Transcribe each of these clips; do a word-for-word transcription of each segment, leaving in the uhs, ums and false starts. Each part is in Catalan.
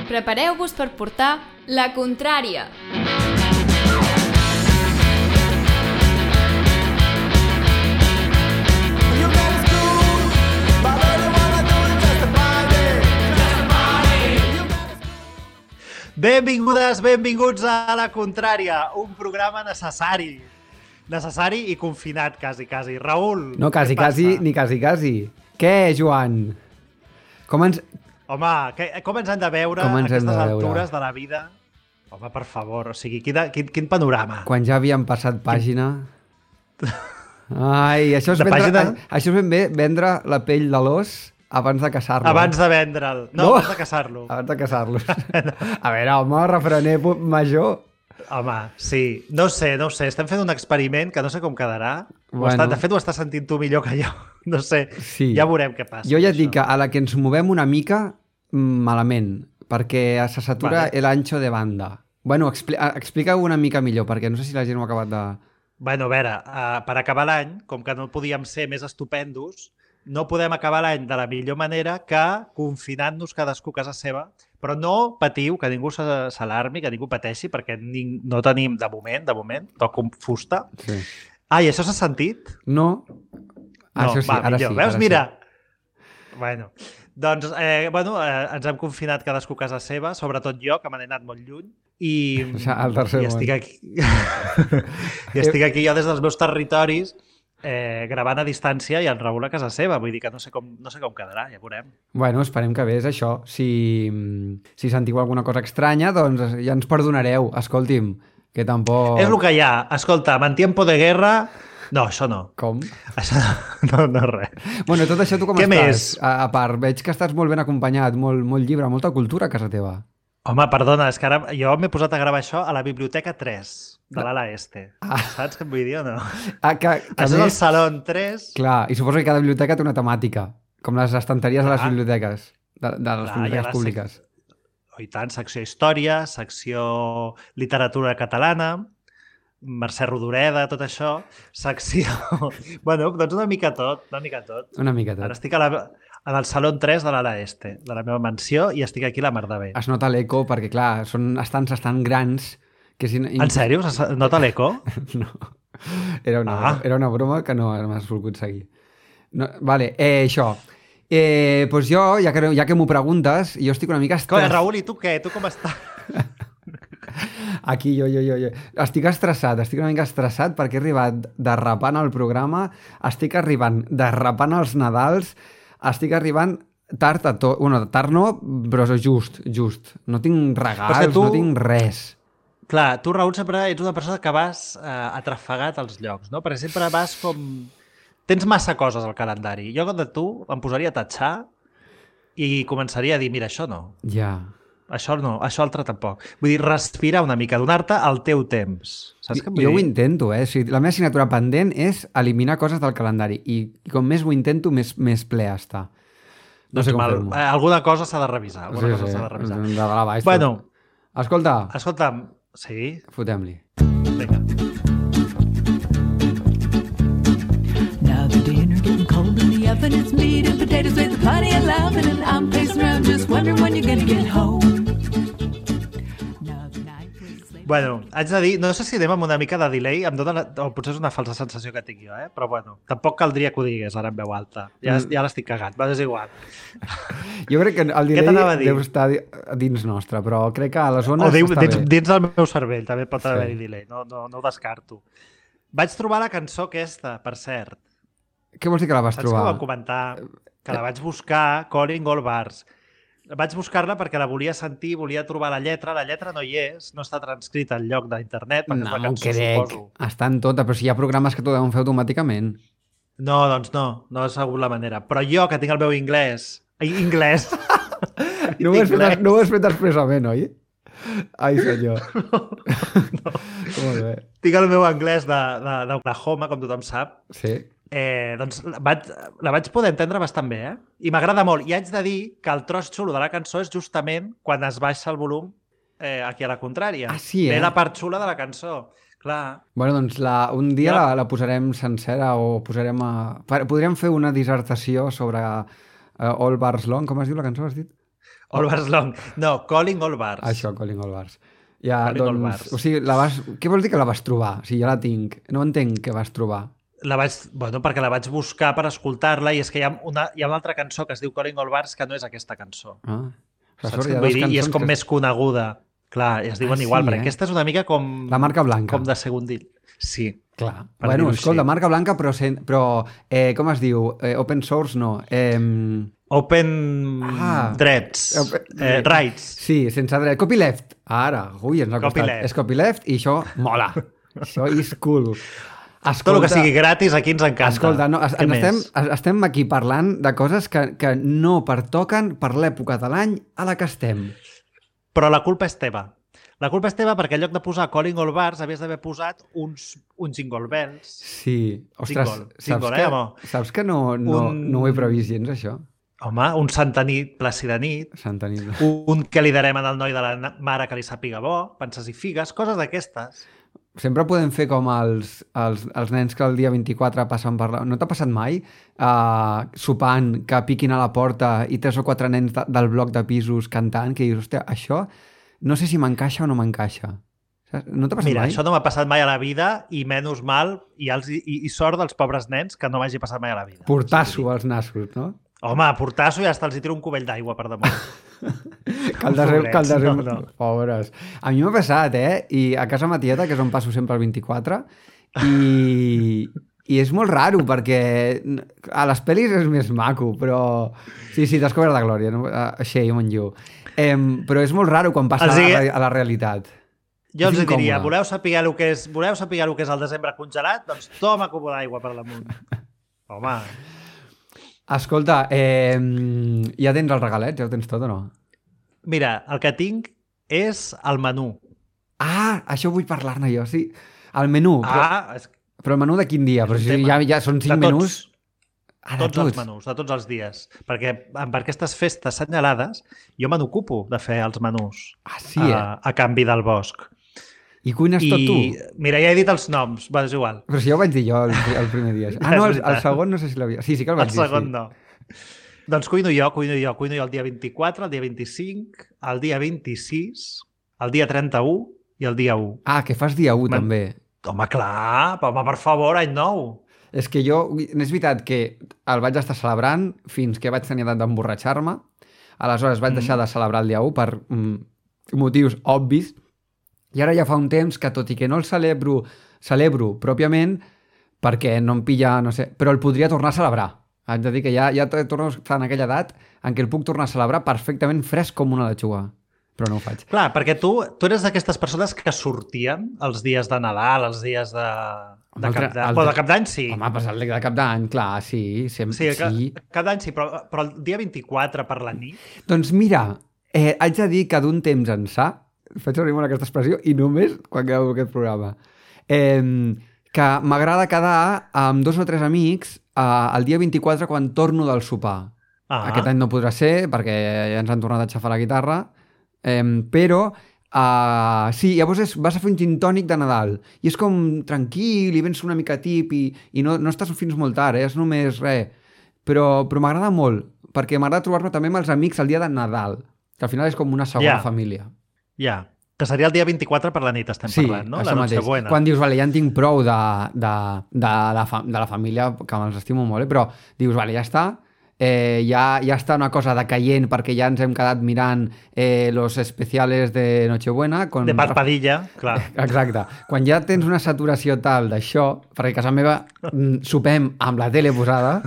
Prepareu-vos per portar la contrària. Benvingudes, benvinguts a La Contrària, un programa necessari. Necessari i confinat, quasi, quasi. Raül, No, quasi, què passa? quasi, ni quasi, quasi. Què, Joan? Com ens... Home, que, com ens han de veure Com ens hem aquestes de veure? altures de la vida? Home, per favor, o sigui, quin, quin, quin panorama. Quan ja havíem passat pàgina... Ai, això és, De vendre, pàgina? això és ben bé vendre la pell de l'os abans de caçar-lo. Abans de vendre'l. No, No. abans de caçar-lo. Abans de caçar-lo. A veure, home, refrener pu- major. Home, sí. No ho sé, no ho sé. Estem fent un experiment que no sé com quedarà. Bueno. Bueno. Està, de fet, ho estàs sentint tu millor que jo. No sé. Sí. Ja veurem què passa. Jo ja et amb dic que això. a la que ens movem una mica, mm, malament, perquè se satura Vale. el ancho de banda. Bueno, expli explica-ho una mica millor, perquè no sé si la gent ho ha acabat de... Bueno, a veure, uh, per acabar l'any, com que no podíem ser més estupendos, no podem acabar l'any de la millor manera que confinant-nos cadascú a casa seva, però no patiu, que ningú se- s'alarmi, que ningú pateixi, perquè ning no tenim, de moment, de moment, toco fusta. Sí. Ai, això s'ha sentit? No? No, Això sí, va, ara millor. sí. Veus, ara mira. Bueno, doncs, eh, bueno, eh, ens hem confinat cadascú a casa seva, sobretot jo, que me n'he anat molt lluny, i, O sigui, al tercer i món. estic aquí. I estic aquí jo des dels meus territoris, eh, gravant a distància i el Raül a casa seva. Vull dir que no sé com, no sé com quedarà, ja veurem. sí. Bueno, esperem que bé, és això. Si, si sentiu alguna cosa estranya, doncs ja ens perdonareu. Escolti'm, que tampoc... És el que hi ha. Escolta, en tiempo de guerra... No, això no. Com? Això no, no res. Bueno, tot això tu com Què estàs? més? A, a part, veig que estàs molt ben acompanyat, molt, molt llibre, molta cultura a casa teva. Home, perdona, és que ara jo m'he posat a gravar això a la Biblioteca tres de l'ala este. Ah. Saps què et vull dir o no? Ah, que, que Això és el més... Salón tres. Clar, i suposo que cada biblioteca té una temàtica, com les estanteries de les Clar. biblioteques, de, de les Clar, hi ha biblioteques la públiques. Oh, i tant, secció Història, secció Literatura Catalana, Mercè Rodoreda, tot això, secció... bueno, doncs una mica tot, una mica tot. Una mica Ara tot. estic a la, en el Salón tres de l'ala este, de la meva mansió, i estic aquí a la mar de bé. Es nota l'eco perquè, clar, són estants estan grans que si... En sèrio? Se nota l'eco? No. Era una, Ah. era una broma que no m'has volgut seguir. No, vale, eh, això. Eh, pues jo, ja que, ja que m'ho preguntes, jo estic una mica Coi, estressat. Raül, i tu què? Tu com estàs? Aquí, jo, jo, jo, jo. Estic estressat, estic una mica estressat perquè he arribat derrapant al programa, estic arribant derrapant als Nadals, estic arribant tard a tot... Bueno, tard no, però just, just. No tinc regals, Però és que tu- no tinc res. Clar, tu, Raül, sempre ets una persona que vas eh, atrafegat als llocs, no? Perquè sempre vas com... Tens massa coses al calendari. Jo, de tu, em posaria a tatxar i començaria a dir, mira, això no, Ja. això no, això altre tampoc. Vull dir, respirar una mica, donar-te el teu temps. Saps què em vull Jo ho dir? intento, eh? O sigui, la meva assignatura pendent és eliminar coses del calendari i, i com més ho intento, més, més ple està. No Doncs sé com mal, fer-m'ho. eh, alguna cosa s'ha de revisar. Alguna cosa s'ha de revisar. De dalt a baix, Bueno, tot. Escolta, escolta'm, sí, fotem-li. vinga. Now the dinner getting cold in the oven. It's meat and potatoes with plenty of loving, and I'm pacing around just wondering when you're gonna get home. Now the night was late. Bueno, haig de dir, no sé si anem amb una mica de delay, em dona la, o potser és una falsa sensació que tinc jo, eh? Però bueno, tampoc caldria que ho digués ara en veu alta. Ja, Mm. ja l'estic cagant, va, és igual. Jo crec que el t'anava delay a dir? deu estar di- dins nostre, però crec que a les O zones diu, està dins, bé. dins del meu cervell també pot Sí. haver-hi delay, no, no, no ho descarto. Vaig trobar la cançó aquesta, per cert. Què vols dir que la vas Saps que ho trobar? vam comentar? Que la vaig buscar, Calling All Bars. Vaig buscar-la perquè la volia sentir, volia trobar la lletra. La lletra no hi és, no està transcrita al lloc d'internet, perquè és No la ho cançó, crec. suposo. Està en tota, però si hi ha programes que t'ho deuen fer automàticament. No, doncs no, no és segur la manera. Però jo, que tinc el meu anglès... Ai, anglès! No ho has fet, Anglès. no ho has fet expressament, oi? Ai, senyor. Molt bé. Tinc el meu anglès de- de- d'Oklahoma, com tothom sap. Sí. Eh, doncs la vaig, la vaig poder entendre bastant bé, eh? I m'agrada molt. I haig de dir que el tros xulo de la cançó és justament quan es baixa el volum eh, aquí a la contrària. Ah, sí, eh? Ve la part xula de la cançó. Clar. Bueno, doncs la, un dia Ja. la, la posarem sencera o posarem a... per- Podríem fer una dissertació sobre uh, All Bars Long, com es diu la cançó, has dit? All Bars Long. No, Calling All Bars. Això, Calling All Bars. Ja, Calling All doncs, Bars. o sigui, la vas... Què vols dir que la vas trobar? O sigui, ja la tinc. No entenc què vas trobar. La vaig, bueno, perquè la vaig buscar per escoltar-la i és que hi ha, una, hi ha una altra cançó que es diu Calling All Bars que no és aquesta cançó. Ah. O Saps sigui, què hi ha vull dues dir? I és cançons com que- més coneguda. Clar, i es diuen Ah, igual, sí, perquè eh? aquesta és una mica com... La marca blanca. Com de segondill. Sí. Clar. Per Bueno, dir-ho escolta, així. marca blanca, però, sen... però eh, com es diu? Eh, open source, no. Eh, Open Ah. drets. Open- Eh, rights. sí, sense dret. Copyleft. Ara, ui, ens ha costat. Copyleft. És copyleft i això mola. Això és cool. Escolta, Tot el que sigui gratis aquí ens encanta. Escolta, no, es, Què estem, més? es- estem aquí parlant de coses que, que no pertoquen per l'època de l'any a la que estem. Però la culpa és teva. La culpa és teva perquè en lloc de posar Calling All Bars havies d'haver posat uns, uns Jingle Bells. Sí. Ostres, Jingle, saps, jingle, que, eh, home? saps que no, no, Un- no ho he previst gens, això? Home, un Santa Nit, Plàcida Nit, Santa nit. un que li darem al noi de la na- mare que li sàpiga bo, penses i figues, coses d'aquestes. Sempre podem fer com els, els, els nens que el dia vint-i-quatre passen per la... No t'ha passat mai? Uh, sopant, que piquin a la porta i tres o quatre nens de, del bloc de pisos cantant, que dius, hòstia, això no sé si m'encaixa o no m'encaixa. Saps? No t'ha passat Mira, mai? això no m'ha passat mai a la vida i menys mal, i, els, i, i sort dels pobres nens que no m'hagi passat mai a la vida. Portasso als nassos, no? Home, portasso i hasta els hi tiro un cubell d'aigua per damunt. Que el desem, que el desem... No, no. Pobres. A mi m'ha passat, eh? I a casa ma tieta, que és on passo sempre el vint-i-quatre, i, i és molt raro, perquè a les pel·lis és més maco, però... Sí, sí, t'has cobert de glòria, no? Uh, shame on you. Um, però és molt raro quan passa Els a, hi- la, a la realitat. Jo els És hi diria, incòmode. voleu saber el que és, voleu saber el que és el desembre congelat? Doncs toma cubo d'aigua per damunt. Home, Escolta, eh, ja tens els regalets? Ja ho tens tot o no? mira, el que tinc és el menú. Ah, això vull parlar-ne jo, sí. El menú, però, Ah, és, però el menú de quin dia? Però un si tema. ja, ja són cinc de tots, menús. Ah, de tots els menús, de tots els dies. Perquè amb aquestes festes assenyalades jo me n'ocupo de fer els menús Ah, sí, eh? a, a canvi del bosc. I cuines I, tot tu? mira, ja he dit els noms, va, és igual. Però si ja ho vaig dir jo el, el primer dia. Ah, És no, el, el veritat. segon no sé si l'havia... Sí, sí que el El vaig dir, segon sí. no. Doncs cuino jo, cuino jo. Cuino jo el dia vint-i-quatre, el dia vint-i-cinc, el dia vint-i-sis, el dia trenta-u i el dia u. Ah, que fas dia u, Man- també. Home, clar, home, per favor, any nou. És que jo... És veritat que el vaig estar celebrant fins que vaig tenir edat d'emborratxar-me. Aleshores vaig Mm. deixar de celebrar el dia u per mm, motius obvis. I ara ja fa un temps que, tot i que no el celebro, celebro pròpiament, perquè no em pilla, no sé, però el podria tornar a celebrar. Haig de dir que ja, ja torno a estar en aquella edat en què el puc tornar a celebrar perfectament fresc com una lechuga. Però no ho faig. Clar, perquè tu, tu eres d'aquestes persones que sortien els dies de Nadal, els dies de, de Altre- Cap d'Any. altre- Bueno, de Cap d'Any sí. Home, passar el dia de cap d'any, clar, sí, sempre, Sí, sí. ca- sí. Cap d'any sí, però, però el dia vint-i-quatre per la nit... Doncs mira, eh, haig de dir que d'un temps ençà, faig servir molt aquesta expressió, i només quan gravo aquest programa, eh, que m'agrada quedar amb dos o tres amics eh, el dia vint-i-quatre quan torno del sopar. Ah, Aquest any no podrà ser perquè ja ens han tornat a xafar la guitarra, eh, però uh, sí, llavors és, vas a fer un gin tònic de Nadal i és com tranquil i vens una mica tip i, i no, no estàs fins molt tard, eh? És només res. Però, però m'agrada molt, perquè m'agrada trobar-me també amb els amics el dia de Nadal, que al final és com una segona Ja. família. ja. Que seria el dia vint-i-quatre per la nit, estem Sí, parlant, no? això La mateix. Nochebuena. Quan dius, vale, ja en tinc prou de, de, de, la, fa, de la família, que me'ls estimo molt, eh? Però dius, vale, ja està, eh, ja, ja està una cosa decaient perquè ja ens hem quedat mirant eh, los especiales de Nochebuena. Con... De Parpadilla, clar. Exacte. Quan ja tens una saturació tal d'això, perquè a casa meva mm, sopem amb la tele posada,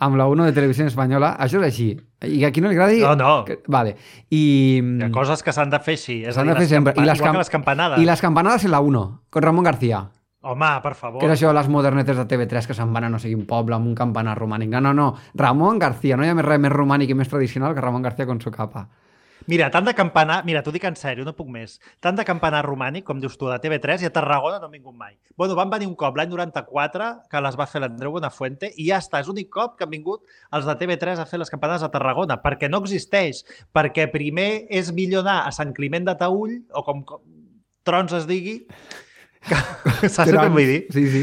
amb la uno de Televisió Espanyola, això és així. I a qui no li agradi... No, no. Que... Vale. I... Hi ha coses que s'han de fer així. És a S'han dir, de fer les sempre. campa- I les, Igual cam- que les campanades. I les campanades en la uno, con Ramon García. Home, per favor. Que és això de les modernetes de T V tres que se'n van a no sé quin poble amb un campanar romànic. No, no, no. Ramon García. No hi ha més res més romànic i més tradicional que Ramon García con su capa. Mira, tant de campanar... Mira, t'ho dic en sèrio, no puc més. Tant de campanar romànic, com dius tu, de T V tres, i a Tarragona no han vingut mai. Bueno, van venir un cop l'any noranta-quatre, que les va fer l'Andreu Buenafuente, i ja està. És l'únic cop que han vingut els de T V tres a fer les campanades a Tarragona, perquè no existeix. Perquè primer és millor anar a Sant Climent de Taüll, o com, com trons es digui, que, saps el que vull dir? Sí, sí.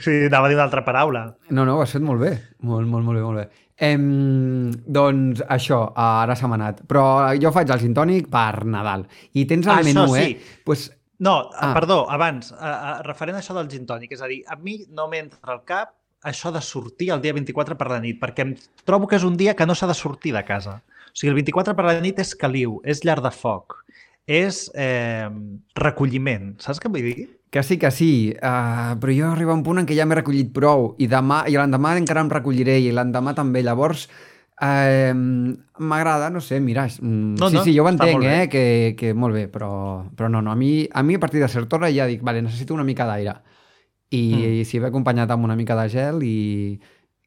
Sí, anava a dir una altra paraula. No, no, ho has fet molt bé. Molt, molt, molt bé, molt bé. Em, doncs això, ara se m'ha anat. Però jo faig el gin tònic per Nadal. I tens el Ah, això menú, sí. eh? Pues, No, Ah. ah. perdó, abans, a, a, referent a això del gin tònic, és a dir, a mi no m'entra al cap això de sortir el dia vint-i-quatre per la nit, perquè em trobo que és un dia que no s'ha de sortir de casa. O sigui, el vint-i-quatre per la nit és caliu, és llar de foc, és eh, recolliment, saps què vull dir? que sí, que sí, uh, però jo arriba un punt en què ja m'he recollit prou i demà i l'endemà encara em recolliré i l'endemà també, llavors uh, m'agrada, no sé, mira, mm, No, sí, no, sí, jo ho està entenc, molt bé. eh, que, que molt bé, però, però no, no, a mi, a mi a partir de certa hora ja dic, vale, necessito una mica d'aire i mm. si ve acompanyat amb una mica de gel i,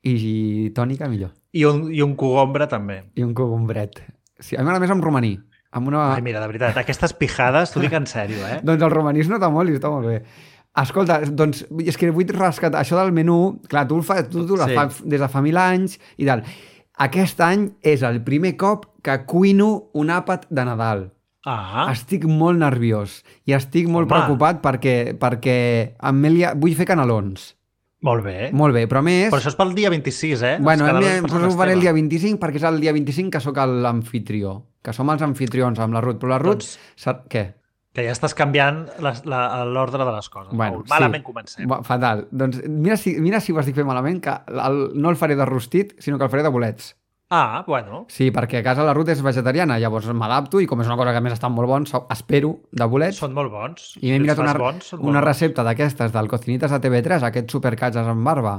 i, i tònica, millor. I un, i un cogombre també. I un cogombret. Sí, a mi m'agrada més amb romaní. Amb una... Ai, mira, de veritat, aquestes pijades, t'ho dic en sèrio, eh? Doncs el romaní es nota molt i està molt bé. Escolta, doncs, és que vull rescatar això del menú. Clar, tu, el fa, tu, tu sí. la fa des de fa mil anys i tal. Aquest any és el primer cop que cuino un àpat de Nadal. Ah, Estic molt nerviós i estic molt Home. preocupat perquè, perquè Amelia, vull fer canelons. molt bé. Molt bé, però a més... Però això és pel dia vint-i-sis, eh? Bueno, Els hem, canelons per Sant ho faré el Esteve. dia vint-i-cinc perquè és el dia vint-i-cinc que sóc l'anfitrió, que som els anfitrions amb la Ruth, però la Ruth... Doncs- Sap, què? Que ja estàs canviant la- la- l'ordre de les coses. Bueno, Bueno, malament sí. comencem. Va, fatal. Doncs mira si, mira si ho estic fent malament, que el, no el faré de rostit, sinó que el faré de bolets. Ah, bueno. Sí, perquè a casa la Ruth és vegetariana, llavors m'adapto i com és una cosa que a més estan molt bons, espero de bolets. Són molt bons. I m'he Si els mirat fas una, bons, són molt una bons. recepta d'aquestes del Cocinitas de T V tres, aquests supercatges amb barba.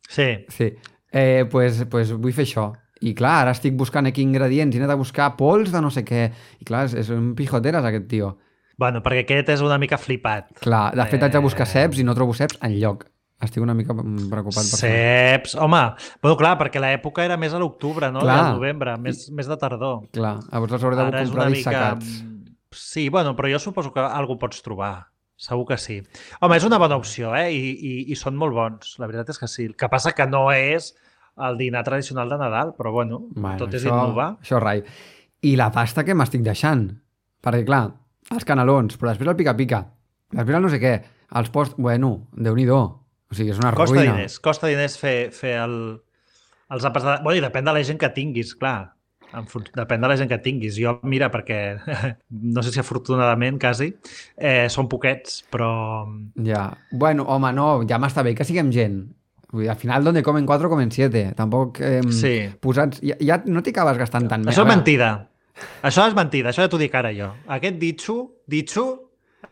Sí. Sí. Eh, pues, pues vull fer això. I clar, ara estic buscant aquí ingredients i he de buscar pols de no sé què. I clar, és, és un pijoteres aquest tio. Bueno, perquè aquest és una mica flipat. Clar, de fet haig de buscar Eh, ceps i no trobo ceps enlloc. Estic una mica preocupat per això. Ceps. Home, bueno, clar, perquè l'època era més a l'octubre, no? Clar. I al novembre, més, més de tardor. Clar, llavors els hauré de Ara és comprar una dissecats. mica... Sí, bueno, però jo suposo que algú pots trobar. Segur que sí. Home, és una bona opció, eh? I, i, i són molt bons. La veritat és que sí. El que passa que no és el dinar tradicional de Nadal, però bueno, Bueno, tot és això, innovar. això rai. I la pasta que m'estic deixant. Perquè, clar, els canelons, però després el pica-pica. Després el no sé què. Els post... Bueno, Déu-n'hi-do. O sigui, és una Costa ruïna. diners, costa diners fer, fer el, els àpats de... Bueno, i depèn de la gent que tinguis, clar. En fun... Depèn de la gent que tinguis. Jo, mira, perquè no sé si afortunadament, quasi, eh, són poquets, però... Ja. Bueno, home, no, ja m'està bé que siguem gent. Vull dir, al final, donde comen cuatro, comen siete. Tampoc eh, Sí. posats... Ja, ja no t'hi acabes gastant tant bé. Això A és veure, mentida. Això és mentida, això ja t'ho dic ara jo. Aquest ditxo, ditxo,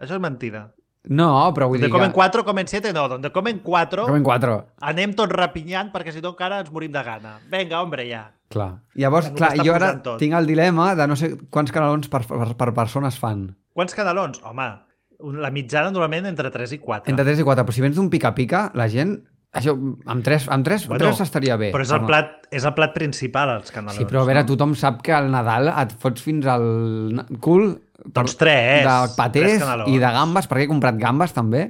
això és mentida. No, però vull Donde dir comen que... cuatro, comen siete, no. Donde comen cuatro, Comen quatre. anem tots rapinyant perquè si no encara ens morim de gana. Vinga, hombre, ja. Clar. Llavors, Que clar, està jo ara posant tot. tinc el dilema de no sé quants canelons per, per, per persona es fan. Quants canelons? Home, la mitjana normalment entre tres i quatre. Entre tres i quatre, però si vens d'un pica-pica, la gent... Això, amb tres, amb tres, Bueno, tres estaria bé. Però és el, plat, és el plat principal, els canelons. Sí, però a veure, no? tothom sap que al Nadal et fots fins al na- cul Doncs tres. de tres patés canelons. i de gambes, perquè he comprat gambes també,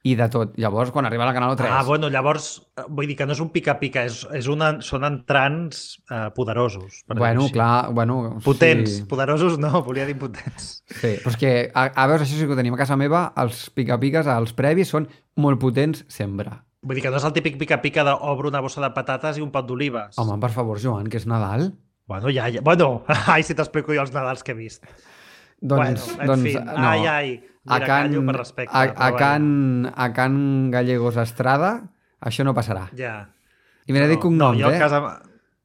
i de tot. Llavors, quan arriba la caneló tres... Ah, bueno, llavors, eh, vull dir que no és un pica-pica, és, és una, són entrants eh, poderosos. Per dir-ho bueno, així. clar, bueno... Potents. Sí. Poderosos no, volia dir potents. Sí, però és que, a, a veure, això sí que ho tenim a casa meva, els pica-piques, els previs, són molt potents sempre. Vull dir que no és el típic pica-pica d'obro una bossa de patates i un pot d'olives. Home, per favor, Joan, que és Nadal. Bueno, ja, ja. Bueno, ai, si t'explico jo els Nadals que he vist. Doncs, bueno, en doncs fi, no. ai, ai. Mira, a Can, callo per respecte. a, a, però Can, a Can Gallegos Estrada, això no passarà. Ja. I me n'he dit cognoms, no, jo a eh? casa...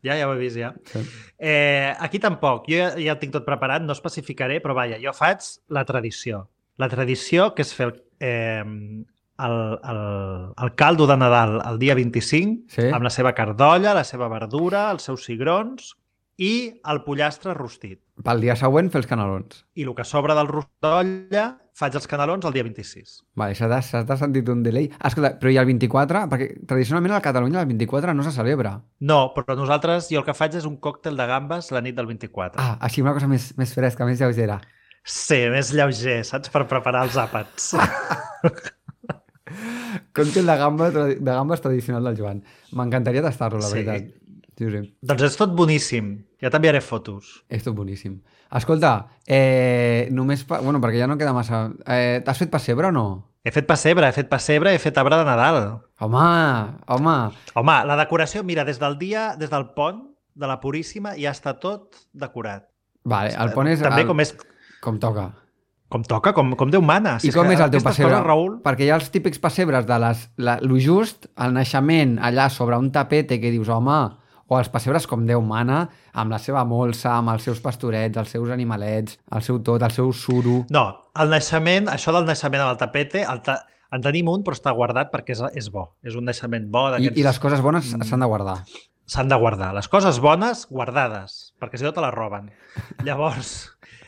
Ja, ja ho he vist, ja. Sí. Eh, aquí tampoc. Jo ja, ja tinc tot preparat, no especificaré, però vaja, jo faig la tradició. La tradició que és fer el, eh, el, el, el caldo de Nadal el dia vint-i-cinc, Sí. amb la seva cardolla, la seva verdura, els seus cigrons i el pollastre rostit. Pel dia següent fer els canelons. I el que sobra del rostolla faig els canelons el dia vint-i-sis. Vale, s'ha de- s'ha de sentit un delay. Ah, escolta, però i el vint-i-quatre? Perquè tradicionalment a Catalunya el vint-i-quatre no se celebra. No, però nosaltres, jo el que faig és un còctel de gambes la nit del vint-i-quatre. Ah, així una cosa més, més fresca, més lleugera. Sí, més lleuger, saps? Per preparar els àpats. Còctel de, gamba, de gambes tradicional del Joan. M'encantaria tastar-lo, la Sí. veritat. Sí, sí. Doncs és tot boníssim. Ja t'enviaré fotos. És tot boníssim. Escolta, eh, només... Pa... Bueno, perquè ja no queda massa... Eh, T'has fet pessebre o no? He fet pessebre, he fet pessebre, he fet arbre de Nadal. Home, home. Home, la decoració, mira, des del dia, des del pont de la Puríssima ja està tot decorat. Vale, el pont és... També el... com és... Com toca. Com toca, com, com Déu mana. I com és el teu pessebre? Coses, Raül... Perquè hi ha els típics pessebres de les, la, lo just, el naixement allà sobre un tapete que dius, home, o els pessebres com Déu mana, amb la seva molsa, amb els seus pastorets, els seus animalets, el seu tot, el seu suro... No, el naixement, això del naixement amb el tapete, el ta... en tenim un, però està guardat perquè és, és bo. És un naixement bo. I, I les coses bones s'han de guardar. S'han de guardar. Les coses bones, guardades, perquè si no te les roben. Llavors,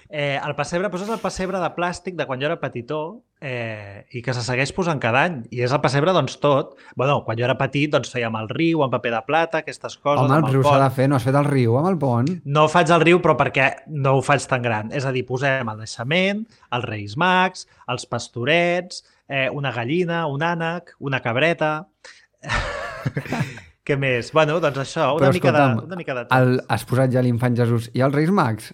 eh, el pessebre, doncs és el pessebre de plàstic de quan jo era petitó eh, i que se segueix posant cada any. I és el pessebre, doncs, tot. Bueno, quan jo era petit, doncs fèiem el riu amb paper de plata, aquestes coses. Home, el amb el riu s'ha de pont. fer, no has fet el riu amb el pont? No faig el riu, però perquè no ho faig tan gran. És a dir, posem el naixement, els Reis Mags, els pastorets, eh, una gallina, un ànec, una cabreta... Què més? Bueno, doncs això, una, Però, mica, escolta'm, de, una mica de tot. el, has posat ja l'infant Jesús i els Reis Mags?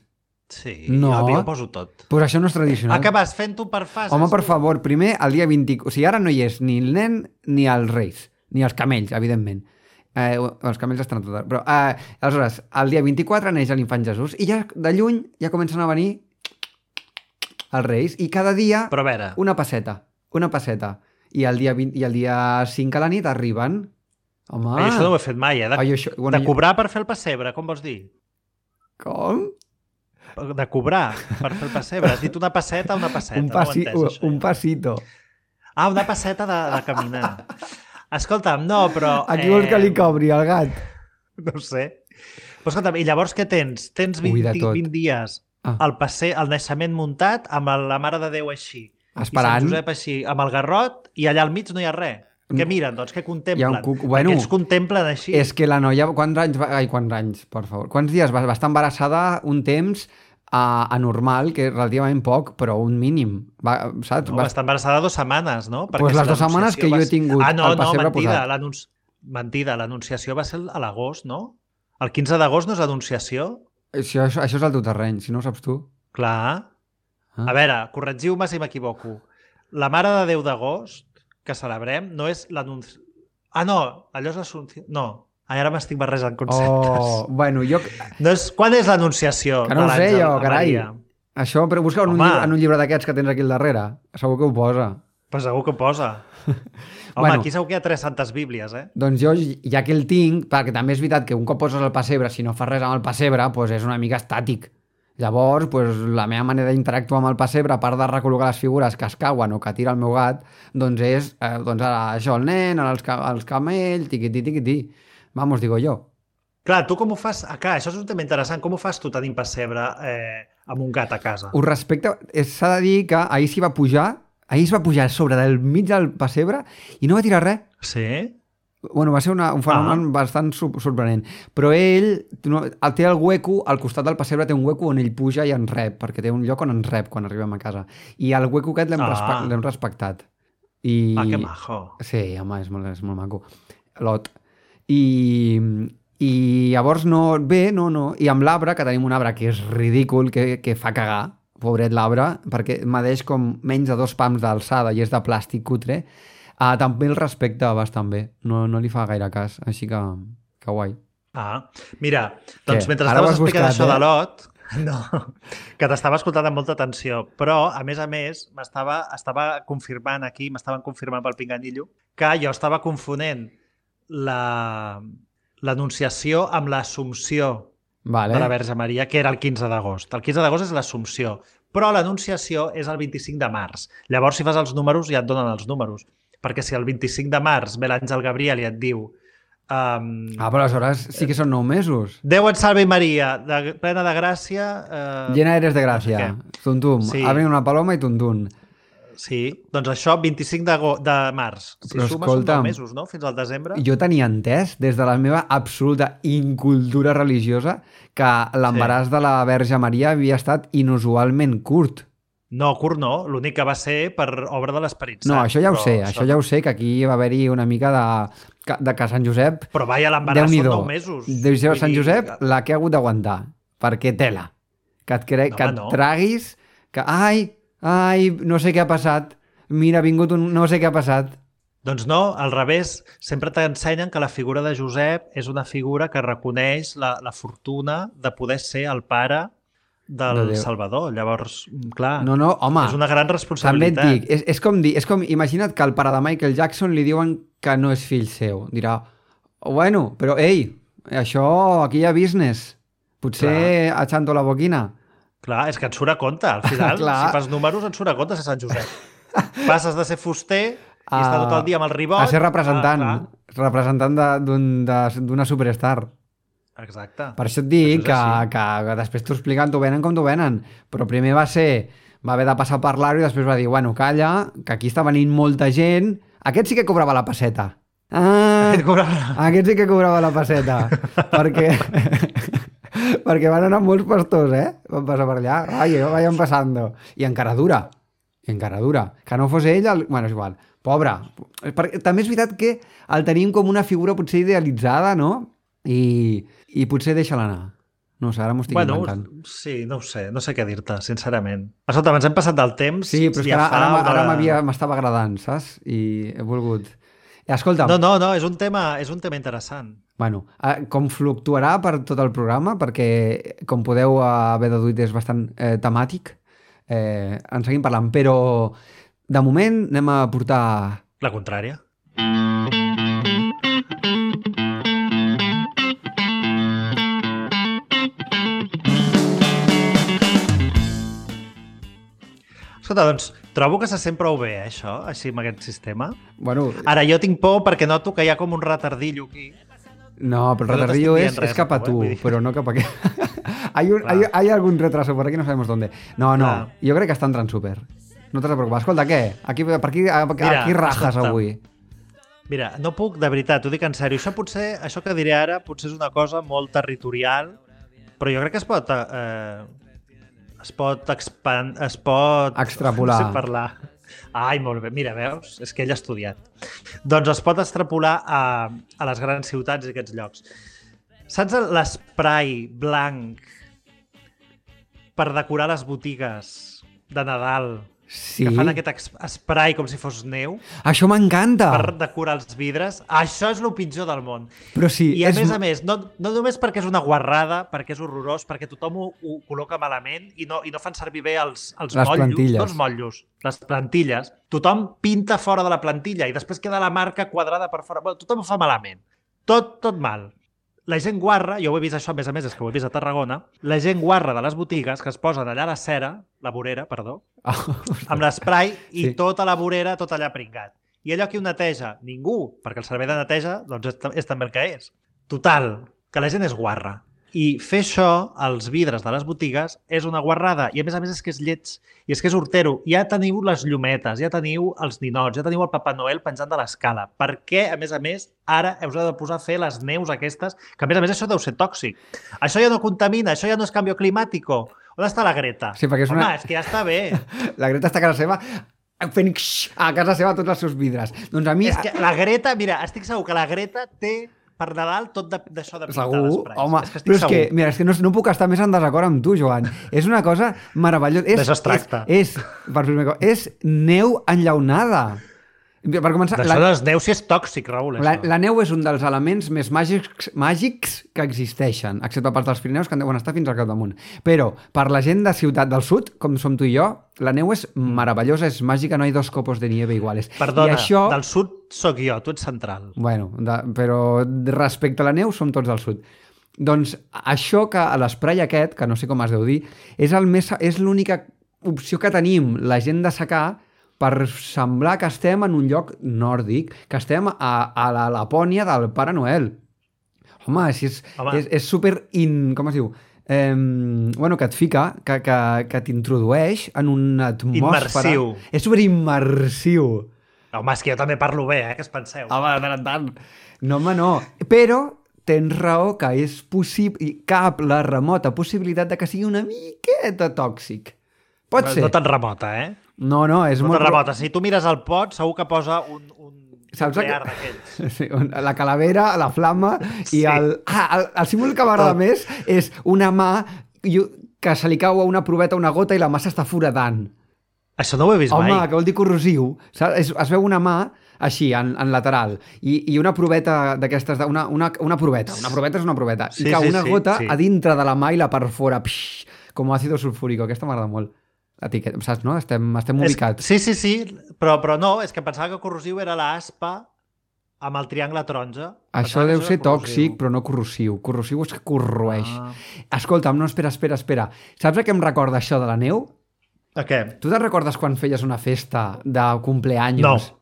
Sí, No. jo, jo poso tot. Pues això no és tradicional. Ah, que vas fent-ho per fases? Home, per favor, primer, el dia vint... O sigui, ara no hi és ni el nen ni els reis, ni els camells, evidentment. Eh, els camells estan tot... Però, eh, aleshores, el dia vint-i-quatre neix l'infant Jesús i ja de lluny ja comencen a venir els reis i cada dia Però a veure, una passeta, una passeta. I el dia, vint, i el dia cinc a la nit arriben. Home, ai, això no ho he fet mai, eh? De, ai, això, bueno, de cobrar per fer el pessebre, com vols dir? Com? De cobrar per fer el pessebre. Has dit una passeta o una passeta? Un, No ho he passi, entès, això, un ja. passito. Ah, una passeta de, de caminar. Escolta'm, no, però... Aquí vols que li cobri el gat? No ho sé. Però escolta'm, i llavors què tens? Tens Ui, vint, de tot. vint dies Ah. el, passe, el naixement muntat amb el- la Mare de Déu així. I Esperant. Sant Josep així, amb el garrot, i allà al mig no hi ha res. Què miren, doncs? Què contemplen? Hi ha un cuc- bueno, Perquè ells contemplen així. És que la noia, quants anys va... Ai, quants anys, per favor. Quants dies va, va estar embarassada un temps uh, anormal, que és relativament poc, però un mínim. Va, saps? No, va... va estar embarassada dues setmanes, no? Pues les dues setmanes que jo he tingut ah, no, el pessebre no, mentida, posat. l'anunci... Mentida, l'anunciació va ser a l'agost, no? El quinze d'agost no és l'anunciació? Això, això, això és el teu terreny, si no ho saps tu. Clar. Ah. A veure, corregiu-me si m'equivoco. La Mare de Déu d'agost, que celebrem, no és l'anunci... Ah, no, allò és l'assumpció... No, ara m'estic barrejant conceptes. Oh, bueno, jo... No és... Quan és l'anunciació Que no de ho sé l'àngel jo, a carai. Maria? Això, però busca en un, Home. llibre, en un llibre d'aquests que tens aquí al darrere. Segur que ho posa. Pues segur que ho posa. Home, Bueno. aquí segur que hi ha tres santes bíblies, eh? Doncs jo, ja que el tinc, perquè també és veritat que un cop poses el pessebre, si no fas res amb el pessebre, doncs és una mica estàtic. Llavors, doncs, la meva manera d'interactuar amb el pessebre, a part de recol·locar les figures que es cauen o que tira el meu gat, doncs és, eh, doncs ara això, el nen, ara els, ca els camells, tiquití, tiquití. Vamos, digo jo. Clar, tu com ho fas? Ah, clar, això és un tema interessant. Com ho fas tu tenint pessebre eh, amb un gat a casa? Us respecte, s'ha de dir que ahir s'hi va pujar, ahir es va pujar a sobre del mig del pessebre i no va tirar res. Sí? Bueno, va ser una, un fenomen ah. bastant sorprenent. Però ell no, té el hueco, al costat del pessebre té un hueco on ell puja i ens rep, perquè té un lloc on ens rep quan arribem a casa. I el hueco aquest l'hem Ah. respe respectat. I... Ah, que majo. Sí, home, és molt, és molt maco. Lot. I, I llavors no... Bé, no, no. I amb l'arbre, que tenim un arbre que és ridícul, que, que fa cagar, pobret l'arbre, perquè medeix com menys de dos pams d'alçada i és de plàstic cutre. Ah, també el respecta bastant bé. No, no li fa gaire cas, així que, que guai. Ah, mira, doncs Què? mentre Ara ho estaves has explicant buscat, això eh? de Lot, no, que t'estava escoltant amb molta atenció, però, a més a més, m'estava estava confirmant aquí, m'estaven confirmant pel pinganillo, que jo estava confonent la l'anunciació amb l'Assumpció Vale. de la Verge Maria, que era el quinze d'agost. El quinze d'agost és l'Assumpció, però l'Anunciació és el vint-i-cinc de març. Llavors, si fas els números, ja et donen els números. Perquè si el vint-i-cinc de març ve l'Àngel Gabriel i et diu um, Ah, però aleshores sí que són nou mesos. Déu et salve Maria, de, plena de gràcia... Eh, Llena eres de gràcia. no sé Tuntum. Sí. Ha venit una paloma i tuntun. Sí, doncs això, vint-i-cinc de, de març. Si Però sumes escolta'm, són nou mesos, no?, fins al desembre. Jo tenia entès, des de la meva absoluta incultura religiosa, que l'embaràs sí. de la Verge Maria havia estat inusualment curt. No, curt no, l'únic que va ser per obra de l'Esperit Sant. No, això ja ho però sé, això ja ho sé, que aquí va haver-hi una mica de, de que Sant Josep... Però vaja, l'embaràs són nou mesos. Deu ser Sant Vull dir- Josep la que ha hagut d'aguantar, perquè tela. Que et, cre... No, que et no. traguis, que ai, ai, no sé què ha passat, mira, ha vingut un... no sé què ha passat. Doncs no, al revés, sempre t'ensenyen que la figura de Josep és una figura que reconeix la, la fortuna de poder ser el pare del De Déu. Salvador. Llavors, clar, No, no, home, és una gran també et responsabilitat. dic, és, és com dir, és com, imagina't que al pare de Michael Jackson li diuen que no és fill seu. Dirà, bueno, però ei, això aquí hi ha business. Potser achando la boquina. Clar, és que et surt a compte. Al final, Clar. si fas números, et surt a compte ser Sant Josep. Passes de ser fuster i A- estar tot el dia amb el ribot... A ser representant, Ah, representant de- d'un- de- d'una superstar. clar. Exacte. Per això et dic Això és que, així. que, que després t'ho expliquen, t'ho venen com t'ho venen. Però primer va ser, va haver de passar per l'aro i després va dir, bueno, calla, que aquí està venint molta gent. Aquest sí que cobrava la passeta. Ah, Et cobrava- aquest sí que cobrava la passeta. perquè... perquè van anar molts pastors, eh? Van passar per allà. Ai, vayan passando. I encara dura. I encara dura. Que no fos ell... El... Bueno, és igual. Pobre. Perquè, també és veritat que el tenim com una figura potser idealitzada, no? I, i potser deixa-la anar. No ho sé, ara m'ho estic Bueno, inventant. sí, no ho sé, no sé què dir-te, sincerament. Escolta, ens hem passat del temps. Sí, però és que ja ara, fa ara, una- ara m'havia- m'estava agradant, saps? I he volgut... Escolta, No, no, no, és un tema, és un tema interessant. bueno, eh, com fluctuarà per tot el programa, perquè, com podeu haver deduït, és bastant eh, temàtic, eh, en seguim parlant, però de moment anem a portar... La contrària. Escolta, doncs, trobo que se sent prou bé, eh, això, així amb aquest sistema. Bueno, Ara, jo tinc por perquè noto que hi ha com un retardillo aquí. no, però el no retardillo t'estic es, dient res, es cap a eh, tu, vull dir. pero no cap a aquí. hay, un, Clar. hay, hay algún retraso por aquí, no sabemos dónde. No, no, Clar. jo crec que està entrant súper. No t'has de preocupar. Escolta, què? Aquí, per aquí, aquí Mira, rajas escolta. avui. Mira, no puc, de veritat, t'ho dic en sèrio. Això potser, això que diré ara, potser és una cosa molt territorial, però jo crec que es pot... Eh, es pot expand... Es pot... Extrapolar. No sé parlar. Ai, molt bé. Mira, veus? És que ell ha estudiat. Doncs es pot extrapolar a, a les grans ciutats i aquests llocs. Saps l'esprai blanc per decorar les botigues de Nadal? Sí. Que fan aquest ex- esprai com si fos neu Això m'encanta. per decorar els vidres. Això és el pitjor del món. Però sí, I a és... més a més, no, no només perquè és una guarrada, perquè és horrorós, perquè tothom ho, ho col·loca malament i no, i no fan servir bé els, els Les motllos, plantilles. no els motllos, les plantilles. Tothom pinta fora de la plantilla i després queda la marca quadrada per fora. Bueno, tothom ho fa malament. Tot, tot mal. La gent guarra, jo ho he vist això, a més a més, és que ho he vist a Tarragona, la gent guarra de les botigues que es posen allà a la cera, la vorera, perdó, amb l'esprai i Sí. tota la vorera, tot allà pringat. I allò qui ho neteja? Ningú, perquè el servei de neteja doncs, és, és també el que és. Total, que la gent és guarra. I fer això als vidres de les botigues és una guarrada. I a més a més és que és lleig. I és que és hortero. Ja teniu les llumetes, ja teniu els ninots, ja teniu el Papa Noel penjant de l'escala. Per què, a més a més, ara us heu de posar a fer les neus aquestes? Que a més a més això deu ser tòxic. Això ja no contamina, això ja no és canvi climàtic. On està la Greta? Sí, perquè és Home, una- és que ja està bé. La Greta està a casa seva fent xx a casa seva tots els seus vidres. Doncs a mi... És que la Greta, mira, estic segur que la Greta té per Nadal tot de- d'això de, de pintar Segur, l'esprai. home, És que estic però és que, segur. mira, és que no, no puc estar més en desacord amb tu, Joan. És una cosa meravellosa. És, D'això es tracta. És, és, per primer cop, és neu enllaunada. Per començar, D'això la, dels neus sí és tòxic, Raül, la, això. la neu és un dels elements més màgics, màgics que existeixen, excepte per dels Pirineus, que en deuen estar fins al capdamunt. Però, per la gent de ciutat del sud, com som tu i jo, la neu és meravellosa, és màgica, no hi ha dos copos de nieve iguales. Perdona, I això... del sud sóc jo, tu ets central. Bueno, de, però respecte a la neu som tots del sud. Doncs això que a l'esprai aquest, que no sé com es deu dir, és el més és l'única opció que tenim la gent de secà per semblar que estem en un lloc nòrdic, que estem a, a la Lapònia del Pare Noel. Home, si és, Home. és, és super in... Com es diu? Eh, bueno, que et fica, que, que, que t'introdueix en una atmosfera... Immersiu. És super immersiu. Home, és que jo també parlo bé, eh? Què es penseu? Home, de tant en tant. No, home, no. Però tens raó que és possible, cap la remota possibilitat de que sigui una miqueta tòxic. Pot no, ser. no tan remota, eh? No, no, és No molt... tan remota. Si tu mires el pot, segur que posa un, un Saps nuclear que- d'aquells. Sí, la calavera, la flama i Sí. el... Ah, el, el símbol que m'agrada Tot. més és una mà i- que se li cau a una proveta una gota i la mà s'està foradant. Això no ho he vist Home, mai. que vol dir corrosiu. Saps? Es, es veu una mà així, en, en lateral, i, i una proveta d'aquestes, de- una, una, una proveta, una proveta és una proveta, Sí, i que sí, una sí, gota sí. a dintre de la mà i la per fora, pix, com àcido sulfúrico. Aquesta m'agrada molt. Etiqueta, saps, no? Estem, estem És- ubicats. Sí, sí, sí, però, però no, és que pensava que corrosiu era l'aspa amb el triangle taronja. Això Pensava que deu ser era corrosiu. tòxic, però no corrosiu. Corrosiu és que corroeix. Ah. Escolta'm, no, espera, espera, espera. Saps a què em recorda això de la neu? A què? Tu te'n recordes quan feies una festa de cumpleaños? No.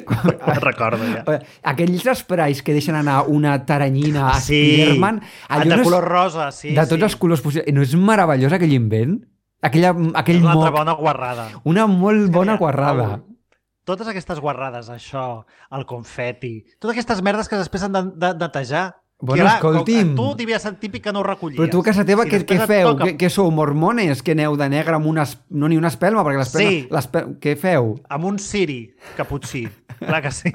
Me'n recordo, ja. Aquells esprais que deixen anar una taranyina a Sí, Spiderman. de color rosa, sí. De tots sí. els colors possibles. No és meravellós aquell invent? Aquella, aquell És una altra moc. bona guarrada. Una molt bona Mira, guarrada. Raül, totes aquestes guarrades, això, el confeti, totes aquestes merdes que després han de, de netejar. Bueno, que, escolti'm. Tu devia ser típic que no ho recollies. Però tu a casa teva I què, després què et feu? toca- Què, què sou, mormones? Que aneu de negre amb una... es- No ni una espelma, perquè l'espelma... Sí. l'espel- Què feu? Amb un ciri caputxí. Clar que sí.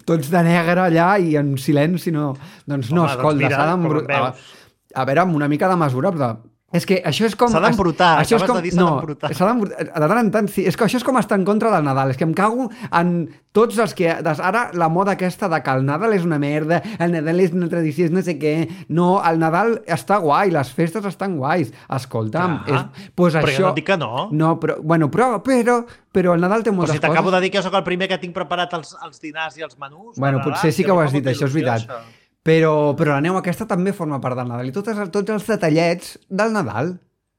Tots de negre allà i en silenci, no... Doncs no, Home, doncs escolta, mira, s'ha com d'embrutar. em A, veus. a veure, amb una mica de mesura, però... És que això és com... S'ha d'embrutar, Això és acabes com... de dir s'ha no, d'embrutar. s'ha d'embrutar. De tant en tant, sí. És que això és com estar en contra del Nadal. És que em cago en tots els que... Des, ara la moda aquesta de que el Nadal és una merda, el Nadal és una tradició, és no sé què... No, el Nadal està guai, les festes estan guais. Escolta'm, Clar, és, pues però això... jo no et dic que no. No, però, bueno, però, però, però el Nadal té O moltes si t'acabo coses. de dir que jo sóc el primer que tinc preparat els, els dinars i els menús. Bueno, per potser Nadal, sí que ho has fa dit, molta això és il·lusió, veritat. això. Però, però la neu aquesta també forma part del Nadal. I tots, els- tots els detallets del Nadal.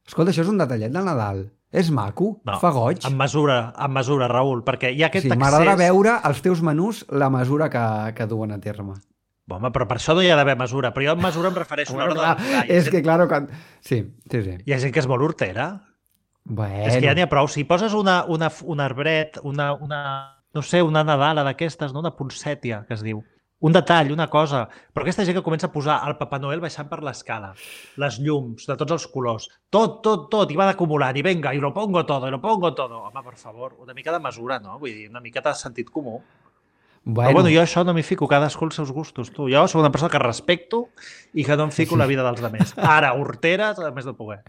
Escolta, això és un detallet del Nadal. És maco, No, fa goig. En mesura, en mesura, Raül, perquè hi ha aquest Sí, accés... m'agradarà veure els teus menús la mesura que, que duen a terme. Home, però per això no hi ha d'haver mesura. Però jo en mesura em refereixo a Bueno, l'hora clar, de... Hi ha és gent- que, claro, quan... Sí, sí, sí. Hi ha gent que és molt hortera. Bueno, És que ja n'hi ha prou. Si poses una, una, un arbret, una, una, no sé, una nadala d'aquestes, no? Una poncètia, que es diu. Un detall, una cosa. Però aquesta gent que comença a posar el Papa Noel baixant per l'escala, les llums de tots els colors, tot, tot, tot, i van acumulant, i venga, i lo pongo todo, i lo pongo todo. Home, per favor, una mica de mesura, no? Vull dir, una miqueta de sentit comú. bueno, Però bueno, jo això no m'hi fico, cadascú els seus gustos, tu. Jo soc una persona que respecto i que no em fico en la vida dels altres. Ara, horteres, a més de poder.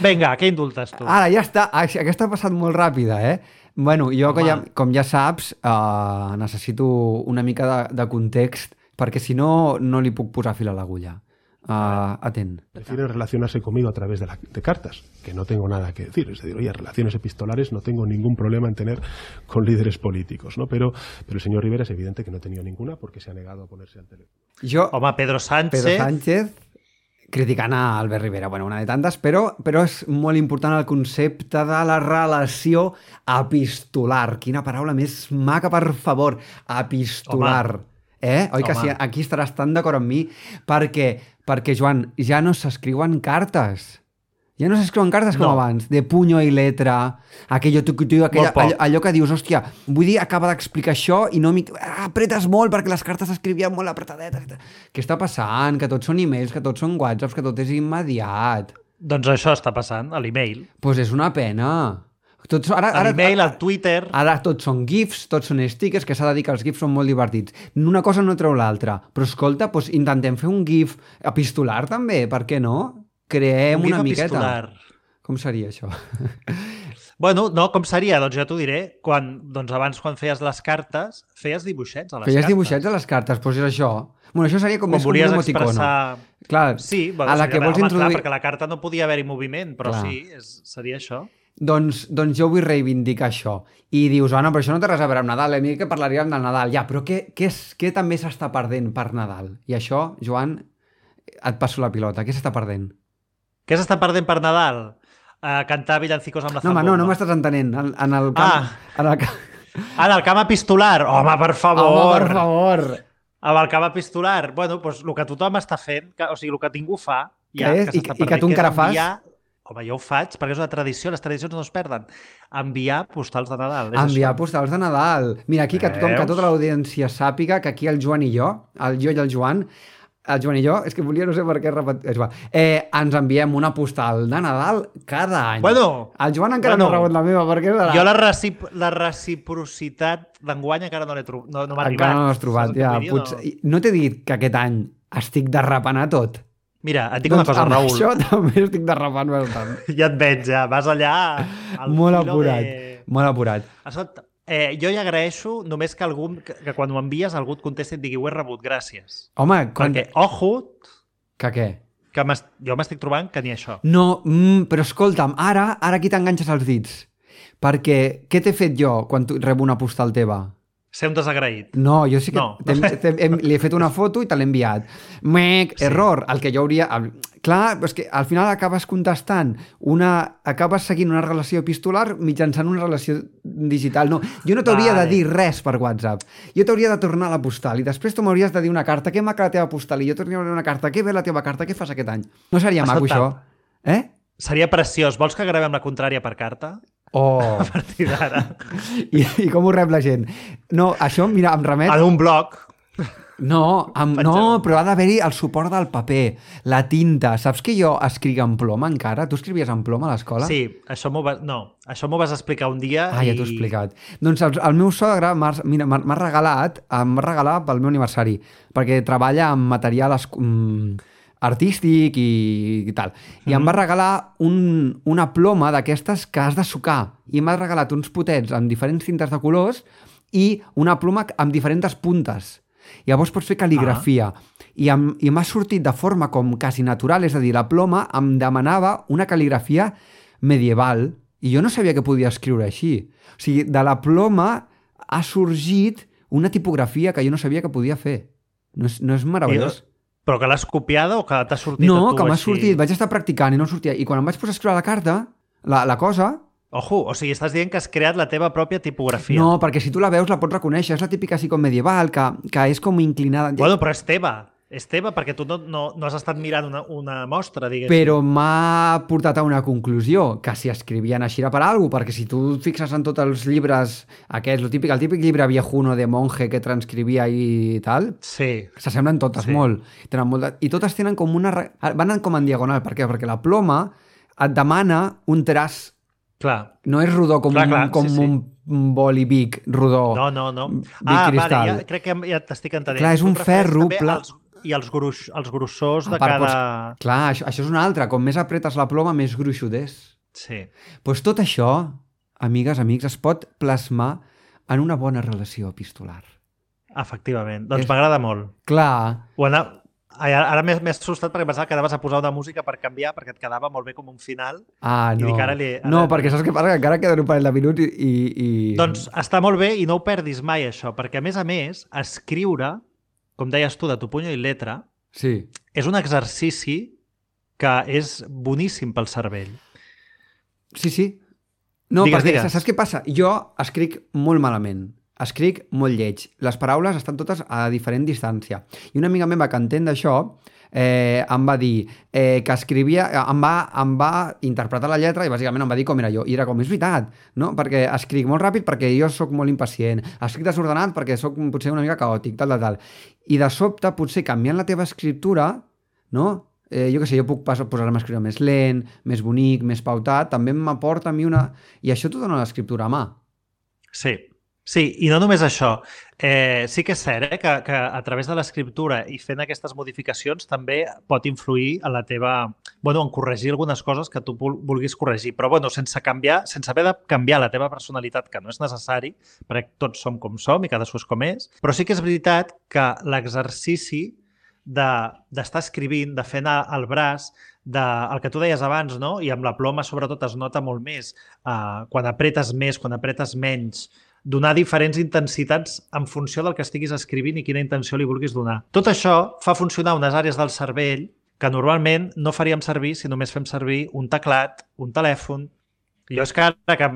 Vinga, què indultes tu? Ara, ja està. Ah, aquesta ha passat molt ràpida, eh? Bueno, jo, que ja, Home. com ja saps, uh, necessito una mica de, de context, perquè si no, no li puc posar fil a l'agulla. Uh, atent. Prefieren relacionarse conmigo a través de, la- de cartas, que no tengo nada que decir. Es decir, oye, relaciones epistolares no tengo ningún problema en tener con líderes políticos, ¿no? Pero, pero el señor Rivera es evidente que no ha tenido ninguna porque se ha negado a ponerse al teléfono. Jo, Home, Pedro Sánchez... Pedro Sánchez, criticant a Albert Rivera, bueno, una de tantes, però, però és molt important el concepte de la relació epistolar. Quina paraula més maca, per favor. Epistolar. Home. Eh? Oi que Home. sí? Aquí estaràs tan d'acord amb mi? Perquè, perquè, Joan, ja no s'escriuen cartes. Ja no s'escriuen cartes com No. abans, de puño i letra, aquello, tu, tu, aquella, Molt poc. allò, allò que dius, hòstia, vull dir, acaba d'explicar això i no m'hi... Ah, apretes molt perquè les cartes s'escrivien molt apretadetes. Què està passant? Que tots són e-mails, que tots són whatsapps, que tot és immediat. Doncs això està passant, a l'email. Doncs pues és una pena. Tots, ara, A ara, l'email, al Twitter... Ara tots són gifs, tots són stickers, que s'ha de dir que els gifs són molt divertits. Una cosa no treu l'altra. Però escolta, doncs intentem fer un gif epistolar també, per què no? Creem un gif una miqueta. epistolar. Com seria això? Bueno, no, com seria? Doncs ja t'ho diré. Quan, doncs abans, quan feies les cartes, feies dibuixets a les Feies cartes. dibuixets a les cartes, doncs és això. Bueno, això seria com Quan més com un volies emoticono. expressar... Clar, Sí, bueno, a la seria- que vols home, introduir... clar, perquè la carta no podia haver-hi moviment, però Clar. sí, és, seria això. Doncs, doncs jo vull reivindicar això. I dius, ah, no, però això no té res a veure amb Nadal, a mi que parlaríem del Nadal. Ja, però què, què, és, què també s'està perdent per Nadal? I això, Joan, et passo la pilota. Què s'està perdent? Què s'està perdent per Nadal? Uh, cantar villancicos amb la No, home, zambomba. no, no m'estàs entenent. En, en el camp... Ah. En el camp... Ah, en el camp epistolar. Home, per favor. Home, per favor. Amb el camp epistolar. Bueno, doncs el que tothom està fent, que, o sigui, el que ningú fa, ja, Què és? que I- s'està i que perdent, tu encara és fas? enviar... Home, jo ho faig, perquè és una tradició, les tradicions no es perden. Enviar postals de Nadal. És Enviar això. postals de Nadal. Mira, aquí que tothom, que Veus? tota l'audiència sàpiga que aquí el Joan i jo, el jo i el Joan, el Joan i jo, és que volia no sé per què repetir, és igual, eh, ens enviem una postal de Nadal cada any. Bueno, el Joan encara bueno, no ha rebut la meva, perquè serà? Jo la, recip la reciprocitat d'enguany encara no l'he trobat. No, no m'ha arribat. Encara no l'has trobat, Saps el que ja. vull dir? Potser... No, no t'he dit que aquest any estic derrapant a tot? Mira, et dic una cosa, amb Raül. això també estic derrapant bastant. Ja et veig, ja. Vas allà al Molt filo apurat, de... molt apurat. Escolta, eh, jo ja agraeixo només que algú, que, que quan ho envies algú et contesti i et digui ho he rebut, gràcies. Home, quan... Perquè, ojo, Que què? que jo m'estic trobant que ni això. No, mm, però escolta'm, ara, ara aquí t'enganxes els dits. Perquè què t'he fet jo quan tu, rebo una postal teva? Ser un desagraït. No, jo sí que No. t'hem- t'hem- hem- li he fet una foto i te l'he enviat. Mec, Sí. error, el que jo hauria... el- Clar, és que al final acabes contestant, una, acabes seguint una relació epistolar mitjançant una relació digital. No, jo no t'hauria Vale. de dir res per WhatsApp. Jo t'hauria de tornar la postal i després tu m'hauries de dir una carta, que maca la teva postal, i jo t'hauria de dir una carta, que bé la teva carta, què fas aquest any? No seria maco, això? Escolta'm. Eh? Seria preciós. Vols que gravem la contrària per carta? Oh, A partir d'ara. I, i com ho rep la gent? No, això, mira, em remet... En un blog. No, amb, no, però ha d'haver-hi el suport del paper, la tinta. Saps que jo escric en ploma encara? Tu escrivies en ploma a l'escola? Sí, això m'ho va... No, això m'ho vas explicar un dia Ah, ja i... t'ho he explicat. Doncs el, el meu sogre m'ha mira, m'ha m'ha regalat, em va regalar pel meu aniversari, perquè treballa amb material es, um, artístic i, i tal. I mm. em va regalar un, una ploma d'aquestes que has de sucar. I m'ha regalat uns potets amb diferents tintes de colors i una ploma amb diferents puntes. Llavors pots fer cal·ligrafia. Ah. I, em, i m'ha sortit de forma com quasi natural, és a dir, la ploma em demanava una cal·ligrafia medieval i jo no sabia que podia escriure així. O sigui, de la ploma ha sorgit una tipografia que jo no sabia que podia fer. No és, no és meravellós? I, però que l'has copiada o que t'ha sortit No, a tu que m'ha així? sortit. Vaig estar practicant i no em sortia. I quan em vaig posar a escriure la carta, la, la cosa... Ojo, o sigui, estàs dient que has creat la teva pròpia tipografia. No, perquè si tu la veus la pots reconèixer. És la típica així com medieval, que, que és com inclinada... Bueno, però és teva. És teva perquè tu no, no, no has estat mirant una, una mostra, diguéssim. Però m'ha portat a una conclusió, que si escrivien així era per alguna cosa, perquè si tu et fixes en tots els llibres aquests, el típic, el típic llibre viejuno de monje que transcrivia i tal, Sí. s'assemblen totes Sí. molt. Tenen molt de... I totes tenen com una... re- Van com en diagonal. Per què? Perquè la ploma et demana un traç. Clar. No és rodó com, Clar, un, clar, com sí, sí. un boli Vic rodó. No, no, no. Vic Ah, cristal. vale, ja, crec que ja t'estic entenent. Clar, és Tu un et refereix ferro també pla- als- I els, gruix, els grossors de A part, cada... doncs, clar, això, això és una altra. Com més apretes la ploma, més gruixut és. Sí. Doncs tot això, amigues, amics, es pot plasmar en una bona relació epistolar. Efectivament. Doncs És- m'agrada molt. Clar, Ho ana... Ai, ara m'he m'he assustat perquè pensava que anaves a posar una música per canviar, perquè et quedava molt bé com un final. ah, I no. dic, ara li- ara- No, perquè saps què passa? Que encara queden un parell de minuts i... i, i... Doncs està molt bé i no ho perdis mai, això, perquè, a més a més, escriure, com deies tu, de tu puño i letra, Sí. és un exercici que és boníssim pel cervell. Sí, sí. No, Digues, perquè digues. saps què passa? Jo escric molt malament. Escric molt lleig. Les paraules estan totes a diferent distància. I una amiga meva que entén d'això eh, em va dir eh, que escrivia... Em va, em va interpretar la lletra i bàsicament em va dir com era jo. I era com, és veritat, no? Perquè escric molt ràpid perquè jo sóc molt impacient. Escric desordenat perquè sóc potser una mica caòtic, tal, tal, tal. I de sobte, potser canviant la teva escriptura, no? Eh, jo què sé, jo puc pas- posar-me a escriure més lent, més bonic, més pautat, també m'aporta a mi una... I això t'ho dona l'escriptura a mà. Sí, sí, i no només això. Eh, sí que és cert eh, que, que a través de l'escriptura i fent aquestes modificacions també pot influir en la teva... Bueno, en corregir algunes coses que tu vul- vulguis corregir, però bueno, sense canviar, sense haver de canviar la teva personalitat, que no és necessari, perquè tots som com som i cadascú és com és, però sí que és veritat que l'exercici d'estar de, escrivint, de fer anar el braç, de, el que tu deies abans, no? I amb la ploma sobretot es nota molt més, uh, quan apretes més, quan apretes menys, donar diferents intensitats en funció del que estiguis escrivint i quina intenció li vulguis donar. Tot això fa funcionar unes àrees del cervell que normalment no faríem servir si només fem servir un teclat, un telèfon. Jo és que ara que,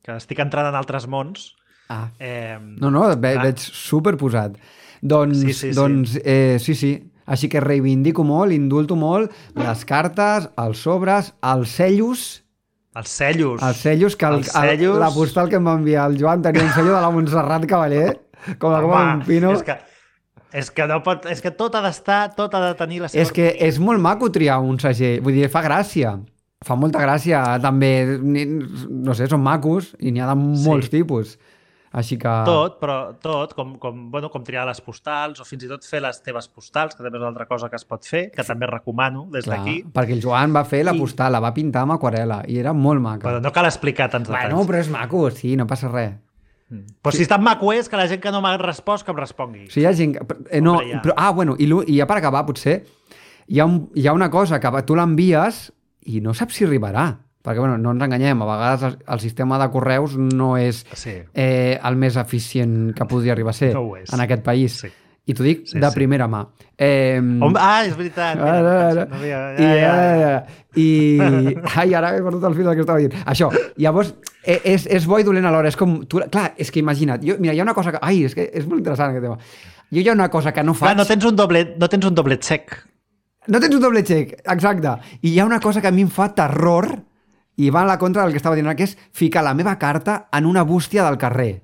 que estic entrant en altres mons... Ah. Eh, No, no, ve, clar. veig superposat. Doncs, Sí, sí, sí. doncs eh, sí, sí. Així que reivindico molt, indulto molt les cartes, els sobres, els cellos, Els cellos. els cellos, que el, Els cellos. el, la postal que em va enviar el Joan tenia un cello de la Montserrat Cavaller, com a com un pino. És que, és que no pot... És que tot ha d'estar, tot ha de tenir la seva... És que és molt maco triar un segell, vull dir, fa gràcia. Fa molta gràcia, també, ni- no sé, són macos i n'hi ha de molts Sí. tipus. Així que... Tot, però tot, com, com, bueno, com triar les postals o fins i tot fer les teves postals, que també és una altra cosa que es pot fer, que també recomano des Clar, d'aquí. perquè el Joan va fer la I- postal, la va pintar amb aquarel·la i era molt maca. Però no cal explicar tants detalls. Bueno, però és maco, sí, no passa res. Però si és tan maco és que la gent que no m'ha respost que em respongui. O sigui, hi ha gent... que- Eh, no, Hombre, ja. però, ah, bueno, i, l'u- i ja per acabar, potser, hi ha, un, hi ha una cosa que tu l'envies i no saps si arribarà. Perquè, bueno, no ens enganyem, a vegades el, el sistema de correus no és Sí. eh, el més eficient que podria arribar a ser No ho és. en aquest país. Sí. I t'ho dic Sí, de sí. primera mà. Eh, Home, ah, és veritat. Ara, ara. No havia- I, ja, ja, ja. ja, I, ai, ara he perdut el fil del que estava dient. Això, llavors, eh, és, és bo i dolent alhora. És com, tu, clar, és que imagina't, jo, mira, hi ha una cosa que... Ai, és que és molt interessant aquest tema. Jo hi ha una cosa que no faig... Clar, no tens un doblet, no tens un doblet sec. No tens un doble xec, exacte. I hi ha una cosa que a mi em fa terror i va a la contra del que estava dient, que és ficar la meva carta en una bústia del carrer.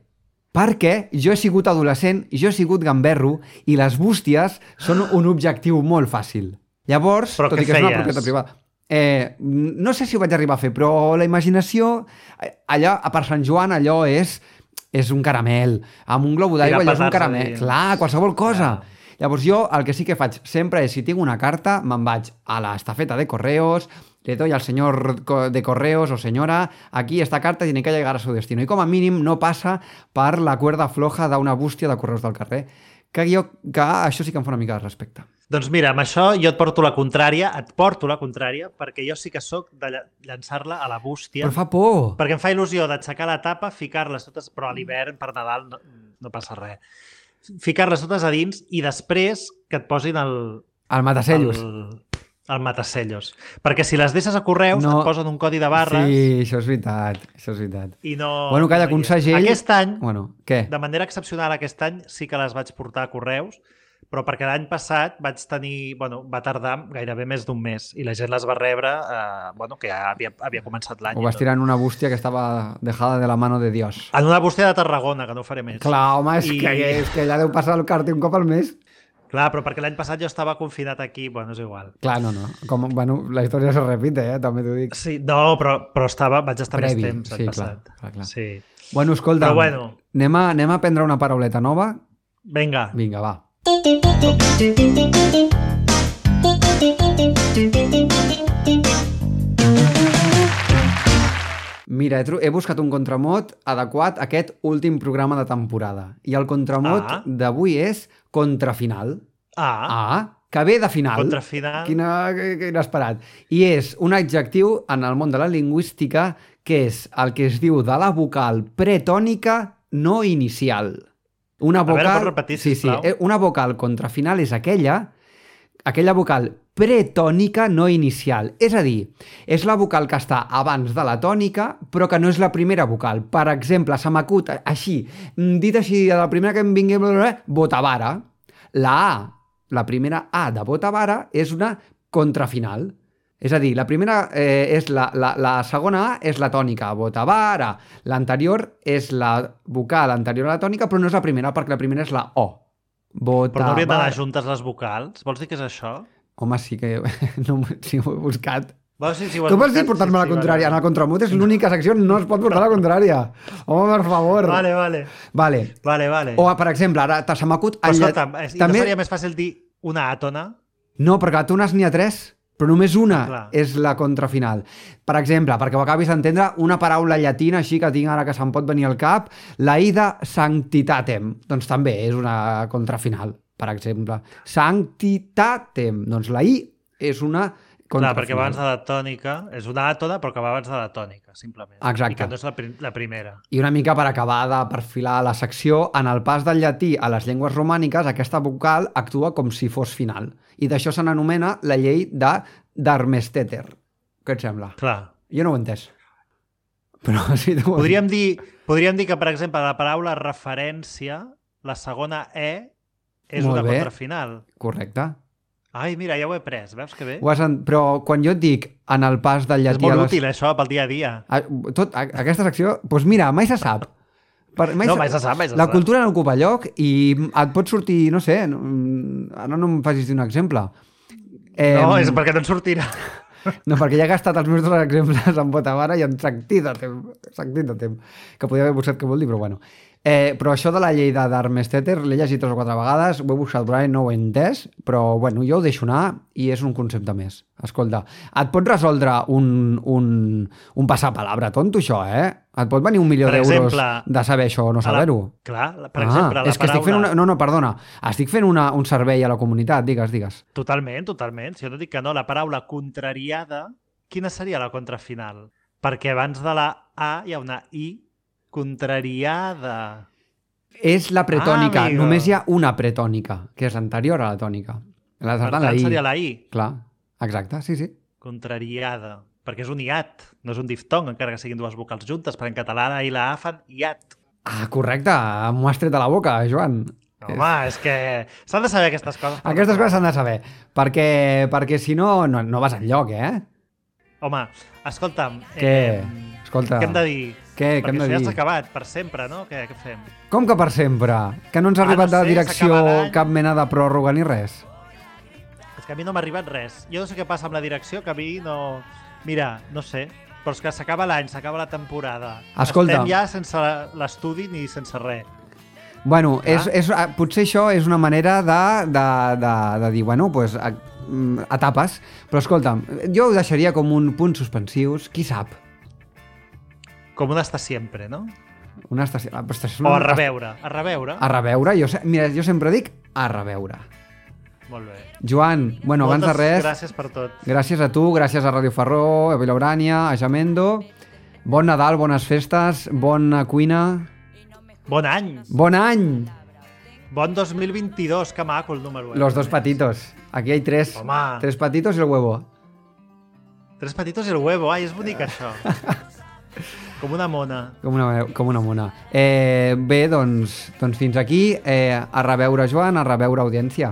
Perquè jo he sigut adolescent, jo he sigut gamberro i les bústies són un objectiu molt fàcil. Llavors, Però tot què i que és una feies? propietat privada, eh, no sé si ho vaig arribar a fer, però la imaginació, eh, allà, per Sant Joan, allò és, és un caramel. Amb un globo d'aigua Tirar allò és un petards caramel. allà. Clar, qualsevol cosa. Ja. Llavors jo el que sí que faig sempre és, si tinc una carta, me'n vaig a la estafeta de correos, le doy al señor co- de correos o señora, aquí esta carta tiene que llegar a su destino. I com a mínim no passa per la cuerda floja d'una bústia de correus del carrer. Que, jo, que això sí que em fa una mica de respecte. Doncs mira, amb això jo et porto la contrària, et porto la contrària, perquè jo sí que sóc de lla- llançar-la a la bústia. Però fa por. Perquè em fa il·lusió d'aixecar la tapa, ficar-les totes, però a l'hivern, per Nadal, no, no passa res. Ficar-les totes a dins i després que et posin el... El matacellos. El, el matacellos. Perquè si les deixes a correus No. et posen un codi de barres Sí, això és veritat. Això és veritat. i no... Bueno, calla, no que un hi és. segell... Aquest any, Bueno, què? de manera excepcional aquest any, sí que les vaig portar a correus, però perquè l'any passat vaig tenir... Bueno, va tardar gairebé més d'un mes i la gent les va rebre, eh, bueno, que ja havia, havia començat l'any. Ho i vas tot. tirar en una bústia que estava dejada de la mano de Dios. En una bústia de Tarragona, que no ho faré més. Clar, home, és, I- que, és que ja deu passar el càrter un cop al mes. Clar, però perquè l'any passat jo estava confinat aquí, bueno, és igual. Clar, no, no. Com, bueno, la història se repite, eh? També t'ho dic. Sí, no, però, però estava, vaig estar Previ, més temps l'any sí, passat. clar, clar, clar. Sí. Bueno, escolta, Però bueno. anem, a, anem a prendre una parauleta nova? Vinga. Vinga, va. Mira, he, tro- he buscat un contramot adequat a aquest últim programa de temporada. I el contramot Ah. d'avui és contrafinal. Ah, Ah, que ve de final. contrafinal. Quina, que- que inesperat. I és un adjectiu en el món de la lingüística que és el que es diu de la vocal pretònica no inicial. Una veure, vocal... pots repetir, sí, sí, sisplau? eh, una vocal contrafinal és aquella aquella vocal pretònica no inicial. És a dir, és la vocal que està abans de la tònica, però que no és la primera vocal. Per exemple, se m'acut així, mm, dit així, la primera que em vingui, Botavara. La A, la primera A de Botavara és una contrafinal. És a dir, la primera eh, és la, la, la segona A és la tònica, Botavara. L'anterior és la vocal anterior a la tònica, però no és la primera, perquè la primera és la O. Botavara. Però no haurien d'anar juntes les vocals? Vols dir que és això? Home, sí que no, sí, ho he buscat. Vols dir si ho has Com vols buscat? dir portar-me Sí, la sí, contrària? En vale. el contramut és l'única secció on no es pot portar la contrària. Home, per favor. Vale, vale. Vale. Vale, vale. O, per exemple, ara te- se m'acut... Però el llet- escolta'm, és- i també... no seria més fàcil dir una àtona? No, perquè a tones n'hi ha tres, però només una Clar. és la contrafinal. Per exemple, perquè ho acabis d'entendre, una paraula llatina així que tinc ara que se'm pot venir al cap, la ida sanctitatem, doncs també és una contrafinal, per exemple. Sanctitatem, doncs la i és una Clar, contrafinal. perquè va abans de la tònica, és una àtona, però que va abans de la tònica, simplement. Exacte. I que no és la, prim la primera. I una mica per acabar de perfilar la secció, en el pas del llatí a les llengües romàniques, aquesta vocal actua com si fos final. I d'això se n'anomena la llei de d'Armesteter. Què et sembla? Clar. Jo no ho he entès. Però sí, tu ho has Podríem dir, podríem dir que, per exemple, la paraula referència, la segona E, és Molt una bé. contrafinal. dit. Correcte. Ai, mira, ja ho he pres, veus que bé? Ho has en... Però quan jo et dic en el pas del És llatí molt a les... útil, això, pel dia a dia. A, tot, a, aquesta secció, doncs mira, mai se sap. Per, No, mai se sap, mai se La sap. cultura no ocupa lloc i et pot sortir, no sé, no, ara no em facis dir un exemple. Eh, No, és perquè no en sortirà. No, perquè ja he gastat els meus dos exemples en Botavara i en Sanctitatem, Sanctitatem, que podria haver buscat què vol dir, però bueno. Eh, però això de la llei de Darmstädter l'he llegit tres o quatre vegades, ho he buscat, Brian, no ho he entès, però bueno, jo ho deixo anar i és un concepte més. Escolta, et pot resoldre un, un, un passapalabra tonto, això, eh? Et pot venir un milió Per d'euros exemple, de saber això o no saber-ho. Clar, per Ah, exemple, la és que estic fent paraula... una... No, no, perdona. Estic fent una, un servei a la comunitat, digues, digues. Totalment, totalment. Si jo no dic que no, la paraula contrariada, quina seria la contrafinal? Perquè abans de la A hi ha una I, contrariada. És la pretònica. Ah, amigo. Només hi ha una pretònica, que és l'anterior a la tònica. La, Per la tant, I. seria la I, Clar, exacte, sí, sí. contrariada. Perquè és un iat, no és un diftong, encara que siguin dues vocals juntes, perquè en català la I i la A fan iat. Ah, correcte, m'ho has tret de la boca, Joan. Home, és que s'han de saber aquestes coses. Aquestes coses s'han de saber, perquè, perquè si no, no, no vas enlloc, eh? Home, escolta'm... Què? Eh, Escolta, què hem de dir? què, què Perquè hem de això ja dir? s'ha acabat, per sempre, no? Què, què fem? Com que per sempre? Que no ens ha Ah, arribat no de la sé, direcció s'acaba l'any. cap mena de pròrroga ni res? És que a mi no m'ha arribat res. Jo no sé què passa amb la direcció, que a mi no... Mira, no sé, però és que s'acaba l'any, s'acaba la temporada. Escolta. Estem ja sense l'estudi ni sense res. Bueno, Clar. és, és, ah, potser això és una manera de, de, de, de dir, bueno, pues, a, mm, etapes, però escolta'm, jo ho deixaria com un punt suspensius, qui sap? Com un està sempre, no? Una estació... ah, però estació O a reveure. A reveure. A reveure, jo, se- mira, jo sempre dic a reveure. Molt bé. Joan, bueno, Moltes abans de res, gràcies per tot. gràcies a tu, gràcies a Ràdio Ferró, a Vilaurània, a Jamendo, bon Nadal, bones festes, bona cuina, Bon any! bon any! Bon dos mil vint-i-dos, que maco el número. Eh? Los dos patitos. Aquí hay tres. Home. Tres patitos y el huevo. Tres patitos i el huevo. Ai, és bonic això. Com una mona. Com una, com una mona. Eh, bé, doncs, doncs fins aquí. Eh, a reveure, Joan, a reveure, audiència.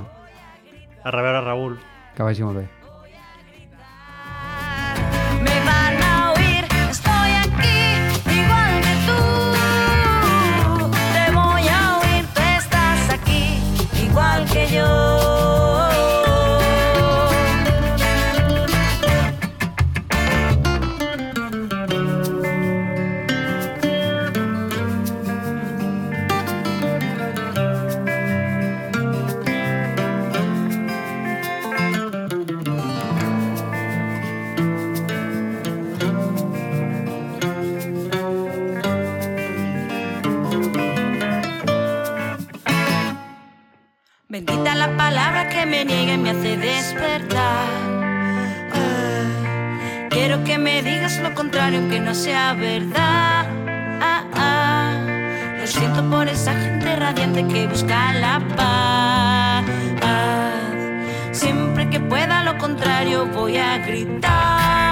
A reveure, Raül. Que vagi molt bé. Me van a oír, estoy aquí, igual que tú. Te voy a oír, tú estás aquí, igual que yo. Bendita la palabra que me niega y me hace despertar. Ah, quiero que me digas lo contrario aunque no sea verdad. Ah, ah, lo siento por esa gente radiante que busca la paz. Siempre que pueda lo contrario voy a gritar.